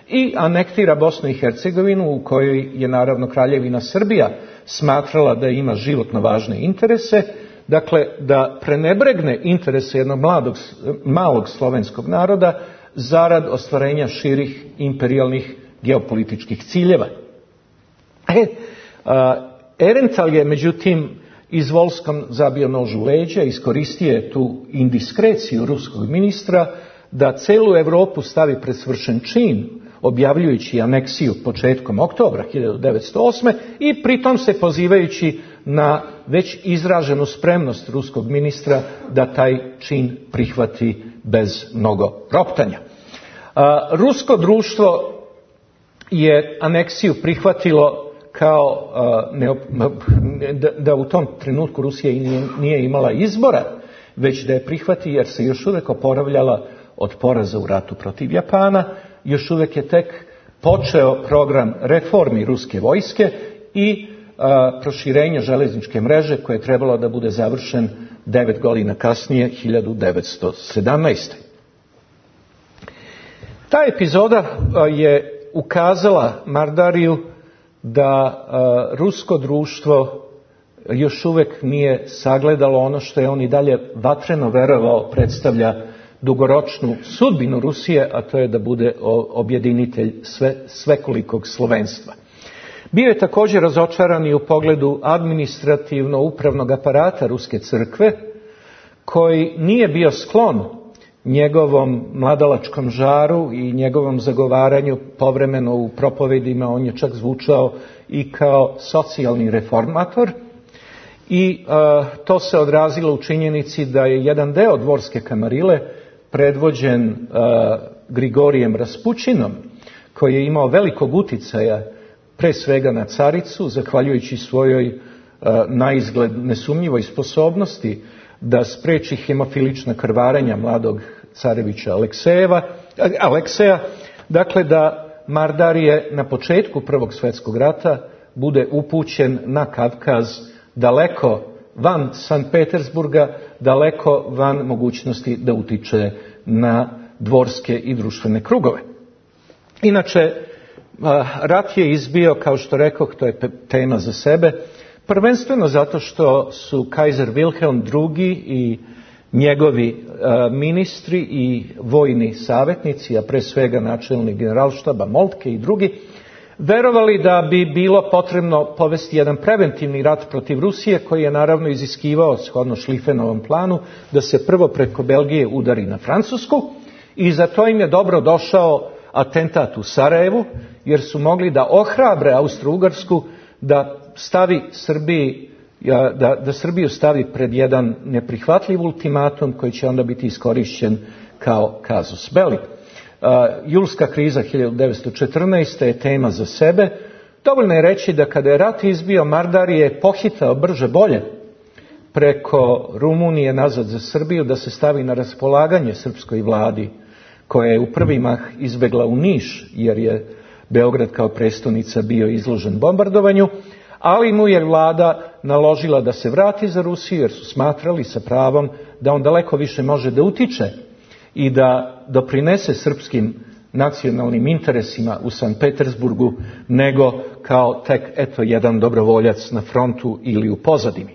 Speaker 1: i anektira Bosnu i Hercegovinu, u kojoj je naravno Kraljevina Srbija smatrala da ima životno važne interese, dakle da prenebregne interese jednog mladog, malog slovenskog naroda zarad ostvarenja širih imperijalnih geopolitičkih ciljeva. E, a, Ehrenthal je međutim Izvolskom zabio nož u leđa, iskoristio je tu indiskreciju ruskog ministra da celu Europu stavi pred svršen čin, objavljujući aneksiju početkom oktobra hiljadu devetsto osme i pritom se pozivajući na već izraženu spremnost ruskog ministra da taj čin prihvati bez mnogo roptanja. A, rusko društvo je aneksiju prihvatilo kao uh, ne, da, da u tom trenutku Rusija nije, nije imala izbora, već da je prihvati jer se još uvijek oporavljala od poraza u ratu protiv Japana, još uvijek je tek počeo program reformi ruske vojske i uh, proširenja željezničke mreže koje je trebalo da bude završen devet godina kasnije, hiljadu devetsto sedamnaeste. Ta epizoda uh, je ukazala Mardariju da a, rusko društvo još uvijek nije sagledalo ono što je on i dalje vatreno verovao predstavlja dugoročnu sudbinu Rusije, a to je da bude objedinitelj sve, svekolikog slovenstva. Bio je također razočaran i u pogledu administrativno-upravnog aparata Ruske crkve, koji nije bio sklon njegovom mladalačkom žaru i njegovom zagovaranju povremeno u propovedima. On je čak zvučao i kao socijalni reformator i uh, to se odrazilo u činjenici da je jedan deo dvorske kamarile predvođen uh, Grigorijem Raspućinom, koji je imao velikog uticaja pre svega na caricu, zahvaljujući svojoj uh, naizgled nesumnjivoj sposobnosti da spreči hemofilična krvarenja mladog carevića Aleksejeva, Alekseja, dakle da Mardarije na početku Prvog svjetskog rata bude upućen na Kavkaz, daleko van Sankt Petersburga, daleko van mogućnosti da utiče na dvorske i društvene krugove. Inače, rat je izbio, kao što rekoh, to je tema za sebe, prvenstveno zato što su kajzer Wilhelm drugi i njegovi ministri i vojni savjetnici, a pre svega načelnik generalštaba Moltke i drugi, verovali da bi bilo potrebno povesti jedan preventivni rat protiv Rusije, koji je naravno iziskivao, shodno Šlifenovom planu, da se prvo preko Belgije udari na Francusku, i za to im je dobro došao atentat u Sarajevu, jer su mogli da ohrabre Austro-Ugarsku da stavi Srbiji, da, da Srbiju stavi pred jedan neprihvatljiv ultimatum koji će onda biti iskorišćen kao kazus belli. Uh, julska kriza hiljadu devetsto četrnaeste. je tema za sebe. Dovoljno je reći da kada je rat izbio, Mardar je pohitao brže bolje preko Rumunije nazad za Srbiju, da se stavi na raspolaganje srpskoj vladi, koja je u prvi mah izbegla u Niš, jer je Beograd kao prestonica bio izložen bombardovanju, ali mu je vlada naložila da se vrati za Rusiju, jer su smatrali sa pravom da on daleko više može da utiče i da doprinese srpskim nacionalnim interesima u Sankt Petersburgu, nego kao tek eto jedan dobrovoljac na frontu ili u pozadini.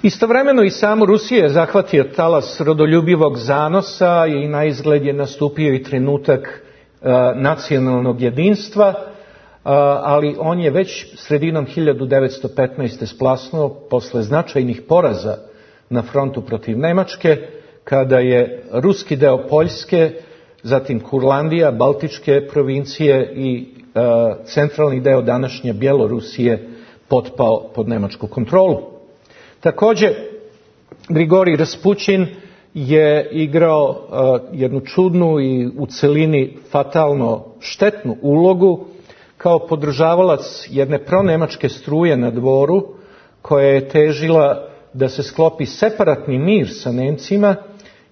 Speaker 1: Istovremeno i samu Rusiju je zahvatio talas rodoljubivog zanosa i naizgled je nastupio i trenutak uh, nacionalnog jedinstva, uh, ali on je već sredinom hiljadu devetsto petnaeste. splasnuo posle značajnih poraza na frontu protiv Nemačke, kada je ruski deo Poljske, zatim Kurlandija, Baltičke provincije i uh, centralni deo današnje Bjelorusije potpao pod nemačku kontrolu. Također, Grigorij Raspućin je igrao uh, jednu čudnu i u celini fatalno štetnu ulogu kao podržavalac jedne pronemačke struje na dvoru, koja je težila da se sklopi separatni mir sa Nemcima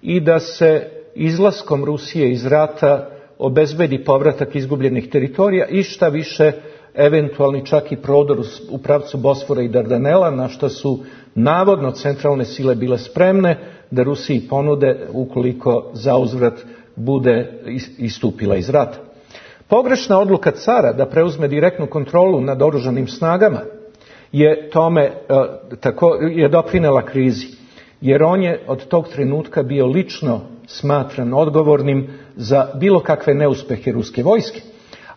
Speaker 1: i da se izlaskom Rusije iz rata obezbedi povratak izgubljenih teritorija i šta više eventualni čak i prodor u pravcu Bosfora i Dardanela, na što su navodno centralne sile bile spremne da Rusiji ponude ukoliko zauzvrat bude istupila iz rata. Pogrešna odluka cara da preuzme direktnu kontrolu nad oružanim snagama je tome tako je doprinela krizi, jer on je od tog trenutka bio lično smatran odgovornim za bilo kakve neuspehe ruske vojske.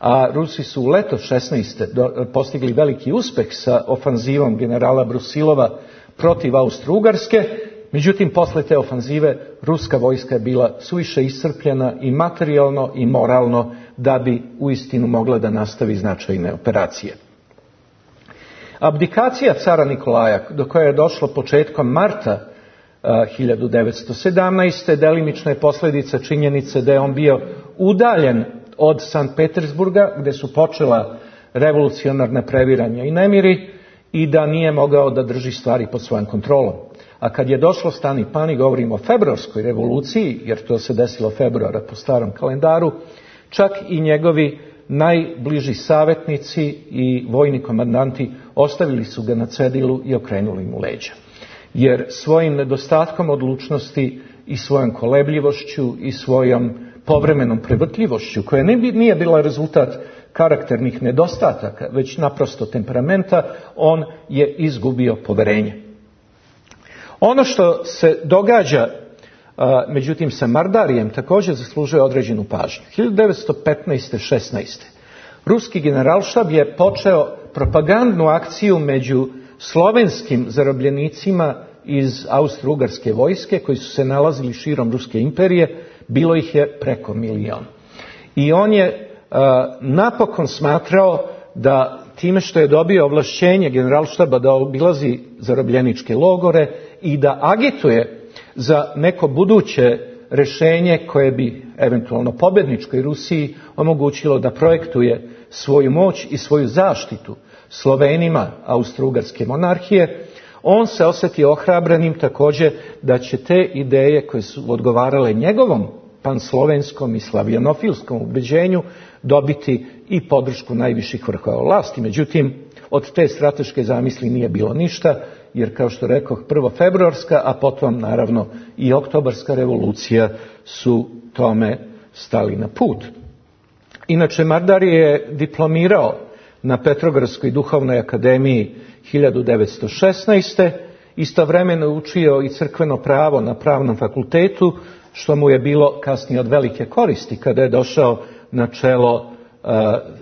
Speaker 1: A Rusi su u leto šesnaeste. postigli veliki uspeh sa ofanzivom generala Brusilova protiv Austro-Ugarske, međutim posle te ofanzive ruska vojska je bila suviše iscrpljena i materijalno i moralno da bi uistinu mogla da nastavi značajne operacije. Abdikacija cara Nikolaja, do koje je došlo početkom marta hiljadu devetsto sedamnaeste. delimična je posljedica činjenice da je on bio udaljen od Sankt Petersburga, gde su počela revolucionarna previranja i nemiri, i da nije mogao da drži stvari pod svojom kontrolom. A kad je došlo stani pani, govorimo o februarskoj revoluciji, jer to se desilo februara po starom kalendaru, čak i njegovi najbliži savjetnici i vojni komandanti ostavili su ga na cedilu i okrenuli mu leđa. Jer svojim nedostatkom odlučnosti i svojom kolebljivošću i svojom povremenom prevrtljivošću, koja nije bila rezultat karakternih nedostataka, već naprosto temperamenta, on je izgubio poverenje. Ono što se događa, a, međutim, sa Mardarijem također zaslužuje određenu pažnju. hiljadu devetsto petnaeste. šesnaeste. Ruski generalštab je počeo propagandnu akciju među slovenskim zarobljenicima iz Austro-Ugarske vojske, koji su se nalazili širom Ruske imperije. Bilo ih je preko milion. I on je a, napokon smatrao da time što je dobio ovlašćenje generalštaba da obilazi zarobljeničke logore i da agituje za neko buduće rješenje koje bi eventualno pobjedničkoj Rusiji omogućilo da projektuje svoju moć i svoju zaštitu Slovenima Austro-Ugarske monarhije, on se osjetio ohrabrenim također da će te ideje koje su odgovarale njegovom panslovenskom i slavjanofilskom ubeđenju dobiti i podršku najviših vrhova vlasti. Međutim, od te strateške zamisli nije bilo ništa, jer kao što rekoh, prvo februarska, a potom naravno i oktobarska revolucija su tome stali na put. Inače, Mardari je diplomirao na Petrogradskoj duhovnoj akademiji hiljadu devetsto šesnaeste. Istovremeno je učio i crkveno pravo na pravnom fakultetu, što mu je bilo kasnije od velike koristi kada je došao na čelo uh,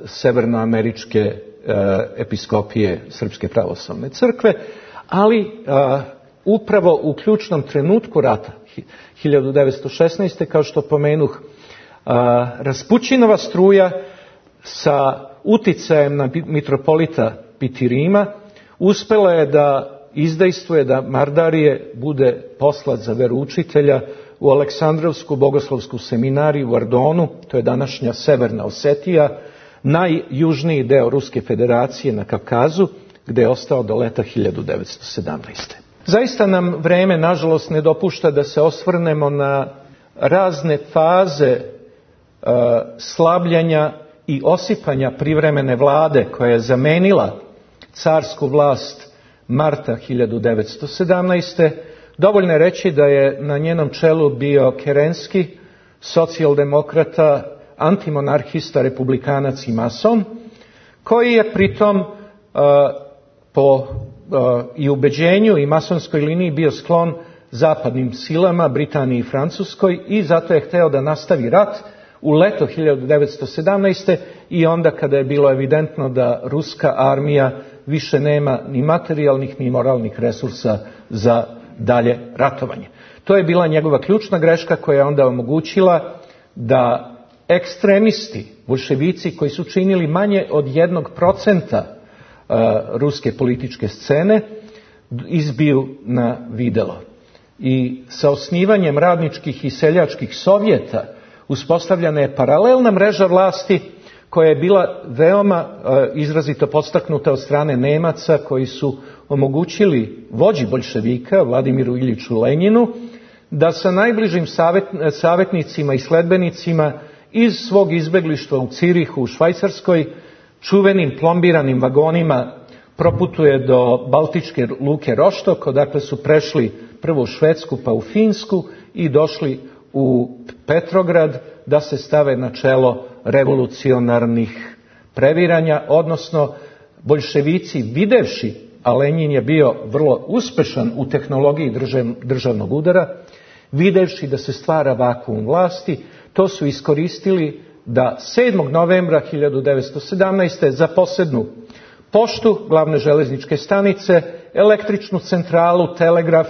Speaker 1: severnoameričke uh, episkopije Srpske pravoslavne crkve, ali uh, upravo u ključnom trenutku rata hiljadu devetsto šesnaeste. kao što pomenuh, uh, Raspućinova struja sa uticajem na mitropolita Pitirima uspela je da izdejstvuje da Mardarije bude poslat za veroučitelja u Aleksandrovsku bogoslovsku seminariju u Ardonu, to je današnja Severna Osetija, najjužniji deo Ruske federacije na Kavkazu, gde je ostao do leta hiljadu devetsto sedamnaeste. Zaista nam vreme, nažalost, ne dopušta da se osvrnemo na razne faze uh, slabljenja i osipanja privremene vlade koja je zamenila carsku vlast marta hiljadu devetsto sedamnaeste. Dovoljno je reći da je na njenom čelu bio Kerenski, socijaldemokrata, antimonarhista, republikanac i mason, koji je pritom uh, po uh, i ubeđenju i masonskoj liniji bio sklon zapadnim silama, Britaniji i Francuskoj, i zato je hteo da nastavi rat u leto hiljadu devetsto sedamnaeste. i onda kada je bilo evidentno da ruska armija više nema ni materijalnih ni moralnih resursa za dalje ratovanje. To je bila njegova ključna greška koja je onda omogućila da ekstremisti, boljševici koji su činili manje od jednog procenta uh, ruske političke scene, izbiju na videlo. I sa osnivanjem radničkih i seljačkih sovjeta uspostavljena je paralelna mreža vlasti koja je bila veoma uh, izrazito podstaknuta od strane Nemaca koji su omogućili vođi boljševika, Vladimiru Iljiću Lenjinu, da sa najbližim savjet, savjetnicima i sledbenicima iz svog izbeglištva u Cirihu, u Švajcarskoj, čuvenim plombiranim vagonima proputuje do Baltičke luke Roštok, odakle su prešli prvo u Švedsku pa u Finsku i došli u Petrograd da se stave na čelo revolucionarnih previranja, odnosno boljševici videvši, a Lenjin je bio vrlo uspešan u tehnologiji državnog udara, videvši da se stvara vakuum vlasti, to su iskoristili da sedmog novembra hiljadu devetsto sedamnaeste. zaposednu poštu, glavne železničke stanice, električnu centralu, telegraf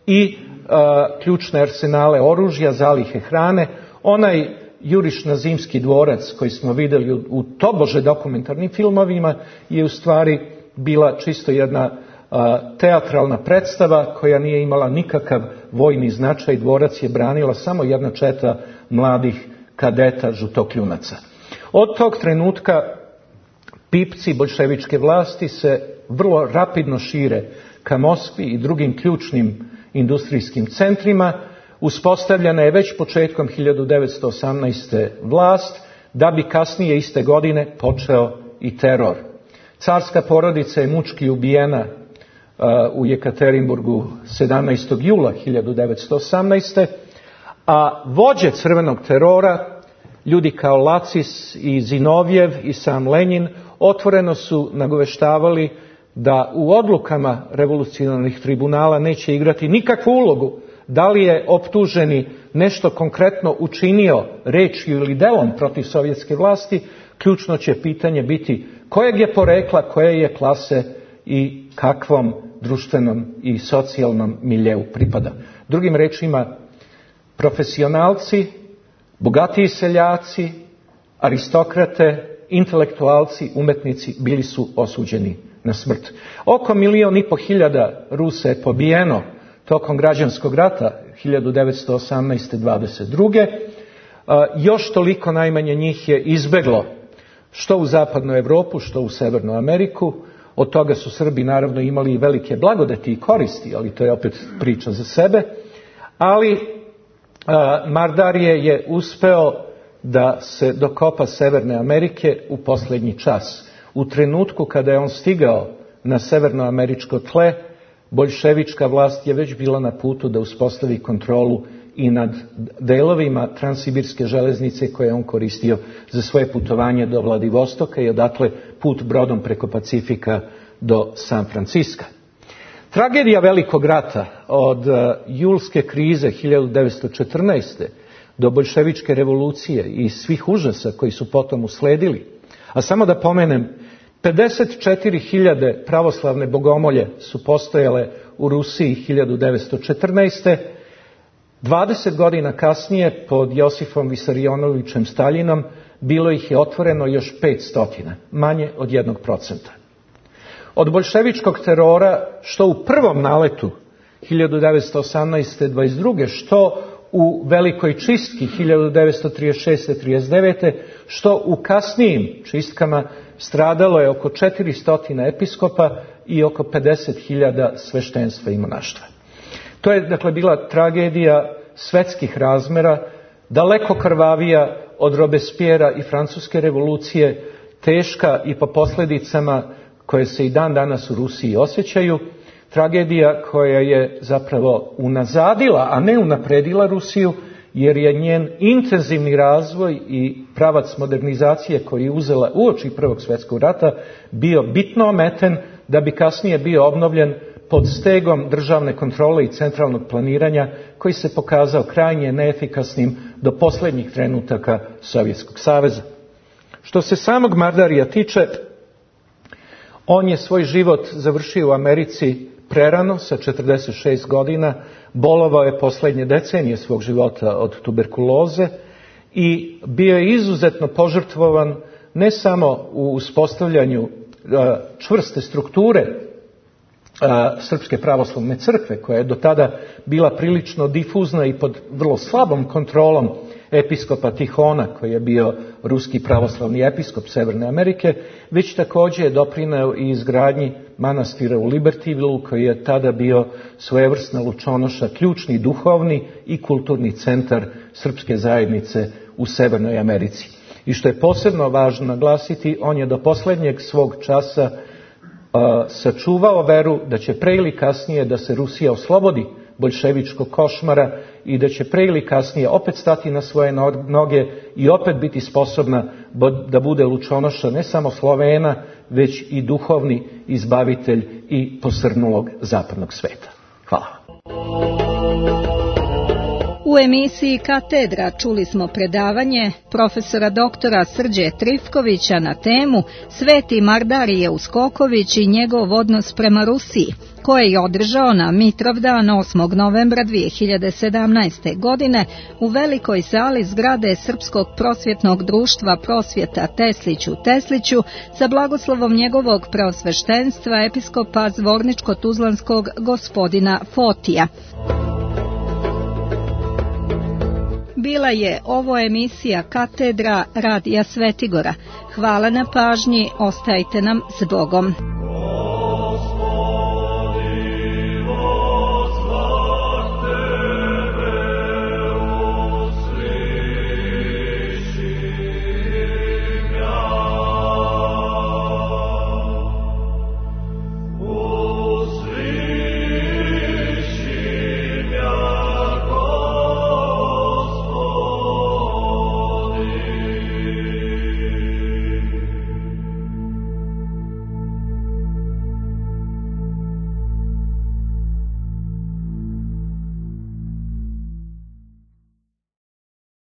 Speaker 1: i a, ključne arsenale oružja, zalihe hrane. Onaj juriš na Zimski dvorac koji smo vidjeli u, u tobože dokumentarnim filmovima je u stvari bila čisto jedna a, teatralna predstava koja nije imala nikakav vojni značaj. Dvorac je branila samo jedna četa mladih kadeta žutokljunaca. Od tog trenutka pipci boljševičke vlasti se vrlo rapidno šire ka Moskvi i drugim ključnim industrijskim centrima. Uspostavljena je već početkom hiljadu devetsto osamnaeste. vlast, da bi kasnije iste godine počeo i teror. Carska porodica je mučki ubijena uh, u Jekaterinburgu sedamnaestog jula hiljadu devetsto osamnaeste. A vođe crvenog terora, ljudi kao Lacis i Zinovjev i sam Lenjin, otvoreno su nagoveštavali da u odlukama revolucionarnih tribunala neće igrati nikakvu ulogu da li je optuženi nešto konkretno učinio rečju ili delom protiv sovjetske vlasti. Ključno će pitanje biti kojeg je porekla, koje je klase i kakvom društvenom i socijalnom miljeu pripada. Drugim rečima, profesionalci, bogatiji seljaci, aristokrate, intelektualci, umetnici bili su osuđeni na smrt. Oko milion i po hiljada Rusa je pobijeno tokom građanskog rata hiljadu devetsto osamnaeste. dvadeset druge. Još toliko najmanje njih je izbeglo što u zapadnu Evropu, što u Severnu Ameriku. Od toga su Srbi naravno imali i velike blagodeti i koristi, ali to je opet priča za sebe. Ali Mardarije je uspeo da se dokopa Severne Amerike u posljednji čas. U trenutku kada je on stigao na severnoameričko tle, boljševička vlast je već bila na putu da uspostavi kontrolu i nad delovima Transsibirske železnice koje je on koristio za svoje putovanje do Vladivostoka i odatle put brodom preko Pacifika do San Franciska. Tragedija Velikog rata od julske krize hiljadu devetsto četrnaeste. do boljševičke revolucije i svih užasa koji su potom usledili. A samo da pomenem, pedeset četiri hiljade pravoslavne bogomolje su postojale u Rusiji hiljadu devetsto četrnaeste. dvadeset godina kasnije, pod Josifom Visarionovićem Staljinom, bilo ih je otvoreno još petsto, manje od jednog procenta. Od boljševičkog terora, što u prvom naletu hiljadu devetsto osamnaeste. dvadeset druge. što u Velikoj čistki hiljadu devetsto trideset šeste. trideset devete. što u kasnijim čistkama, stradalo je oko četiristo episkopa i oko pedeset hiljada sveštenstva i monaštva. To je, dakle, bila tragedija svetskih razmera, daleko krvavija od Robespierra i Francuske revolucije, teška i po posljedicama koje se i dan danas u Rusiji osjećaju, tragedija koja je zapravo unazadila, a ne unapredila Rusiju, jer je njen intenzivni razvoj i pravac modernizacije koji je uzela uoči Prvog svjetskog rata bio bitno ometen da bi kasnije bio obnovljen pod stegom državne kontrole i centralnog planiranja koji se pokazao krajnje neefikasnim do posljednjih trenutaka Sovjetskog saveza. Što se samog Mardarija tiče, on je svoj život završio u Americi prerano, sa četrdeset šest godina, bolovao je posljednje decenije svog života od tuberkuloze i bio je izuzetno požrtvovan ne samo u uspostavljanju čvrste strukture Srpske pravoslavne crkve, koja je do tada bila prilično difuzna i pod vrlo slabom kontrolom episkopa Tihona, koji je bio ruski pravoslavni episkop Severne Amerike, već također je doprineo i izgradnji manastira u Libertyvilleu, koji je tada bio svojevrsna lučonoša, ključni duhovni i kulturni centar srpske zajednice u Severnoj Americi. I što je posebno važno naglasiti, on je do posljednjeg svog časa uh, sačuvao veru da će pre ili kasnije da se Rusija oslobodi boljševičkog košmara i da će pre ili kasnije opet stati na svoje noge i opet biti sposobna da bude lučonoša ne samo Slovena, već i duhovni izbavitelj i posrnulog zapadnog sveta. Hvala.
Speaker 2: U emisiji Katedra čuli smo predavanje profesora doktora Srđe Trifkovića na temu Sveti Mardarije Uskoković i njegov odnos prema Rusiji, koje je održao na Mitrovdan osmog novembra dvije hiljade sedamnaeste. godine u velikoj sali zgrade Srpskog prosvjetnog društva Prosvjeta Teslić u Tesliću sa blagoslovom njegovog preosveštenstva episkopa Zvorničko-Tuzlanskog gospodina Fotija. Bila je ovo emisija Katedra Radija Svetigora. Hvala na pažnji, ostajte nam s Bogom.